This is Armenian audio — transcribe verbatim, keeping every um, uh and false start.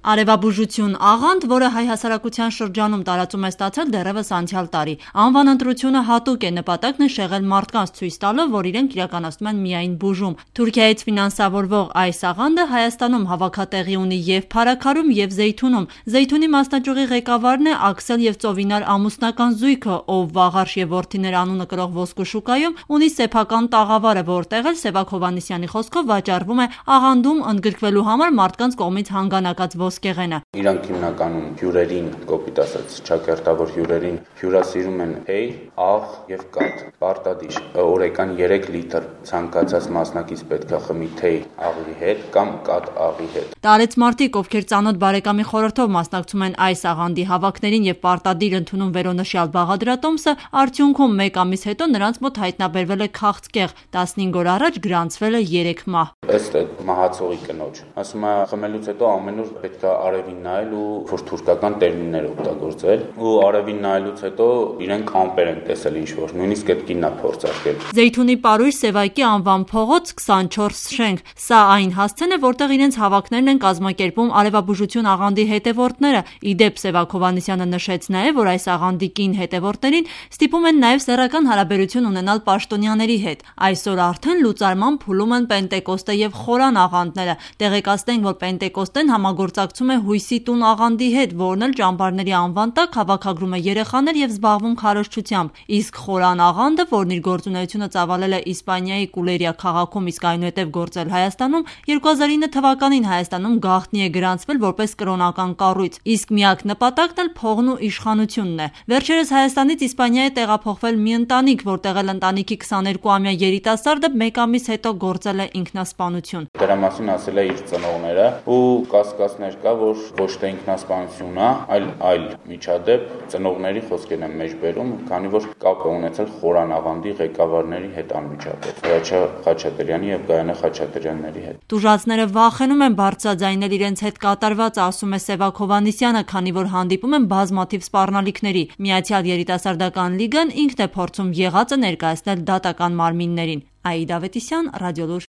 Արևաբուժություն աղանդ, որը հայ հասարակության շրջանում տարածում է ստացել դեռևս անցյալ տարի։ Անվան ընտրությունը հատուկ է, նպատակն է շեղել մարդկանց, ցույց տալը, որ իրենք իրականացնում են միայն բուժում։ Թուրքիայից ֆինանսավորվող այս աղանդը Հայաստանում հավաքատեղի ունի և Փարաքարում, և Զեյթունում։ Զեյթունի մասնաճյուղի ղեկավարն է Աքսել և Ծովինար ամուսնական զույգը, ով Վաղարշ և որդիներ անունը կրող ոսկու շուկայում ունի սեփական տաղավարը, որտեղ էլ Սևակ Հովհաննիսյանի խոսքով վաճառվում է աղանդում ընդգրկվելու համար մարդկանց կողմից հանգանակած ոսկեղենը։ Իրանք հիմնականում հյուրերին, կոպիտ ասած, չակերտավոր հյուրերին հյուրասիրում են հեյ, աղ և կաթ, պարտադիր։ Օրական երեք լիտր ցանկացած մասնակից պետք է խմի թեյ աղի հետ կամ կաթ աղի հետ։ Տարեց մարդիկ, ովքեր ծանոթ բարեկամի խորհրդով մասնակցում են այս աղանդի հավաքներին և պարտադիր ընդունում վերոնշյալ բաղադրատոմսը, արդյունքում մեկ ամիս հետո նրանց մոտ հայտնաբերվել է քաղցկեղ, տասնհինգ օր առաջ գրանցվել է երեք մահ։ Ըստ մահացողի կնոջ, ասում է խմելուց հետո ամեն օր պետք է արևին նայել ու որ թուրքական տերմիններ օգտագործել, ու արևին նայելուց հետո իրենք ամպեր են տեսել ինչ-որ, նույնիսկ այդ կինն է փորձարկել։ Զեյթունի պարույր Սևակի անվան փողոց քսանչորս շենք։ Սա այն հասցեն է, որտեղ իրենց հավաքներն են կազմակերպում արևաբուժություն աղանդի հետևորդները։ Ի դեպ, Սևակ Հովհաննիսյանը նշեց նաև, որ այս աղանդի կին հետևորդներին ստիպում են նաև սեռական հարաբերություն ունենալ պաշտոնյաների հետ։ Այսօր արդեն լուծարման փուլում են Պենտեկոստե և Խորան աղանդները։ Տեղեկացնենք, որ Պենտեկոստեն համագործակցում է Հույսի տուն աղանդի հետ, որն էլ ճամբարների անվան տակ հավաքագրում է երեխաներ և զբաղվում քարոզչությամբ։ Իսկ Խորան աղանդը, որն իր գործունեությունը ծավալել է Իսպանիայի Կուլերիա քաղաքում, իսկ այնուհետև գործել Հայաստանում, երկու հազար ինը թվականին Հայաստանում գաղտնի է գրանցվել որպես կրոնական կառույց, իսկ միակ նպատակն էլ փողն ու իշխանությունն է։ Վերջերս Հայաստանից Իսպանիա է տեղափոխվել մի ընտանիք, որտեղ էլ ընտանիքի քսաներկուամյա երիտասարդը մեկ ամիս հետո գործել է ինքնասպանություն։ Դրա մասին ասել է իր ծնողները, ու կասկածներ կա, որ ոչ թե ինքնասպանություն է, այլ այլ միջադեպ ծնողների խոսքերն են մեջ բերում, քանի որ կապ է ունեցել Խորան աղանդի ղեկավարների հետ անմիջապես, Հրաչյա Խաչատրյանի և Գայանե Խաչատրյանների հետ։ Տուժածները վախենում են բարձրաձայնել իրենց հետ կատարվածը, ասում է Սևակ Հովհաննիսյանը, քանի որ հանդիպում են բազմաթիվ սպառնալիքների։ Միացյալ երիտասարդական լիգան ինքն է փորձում եղածը ներկայացնել դատական մարմիններին։ Աիդա Ավետիսյան, Ռադիոլուր։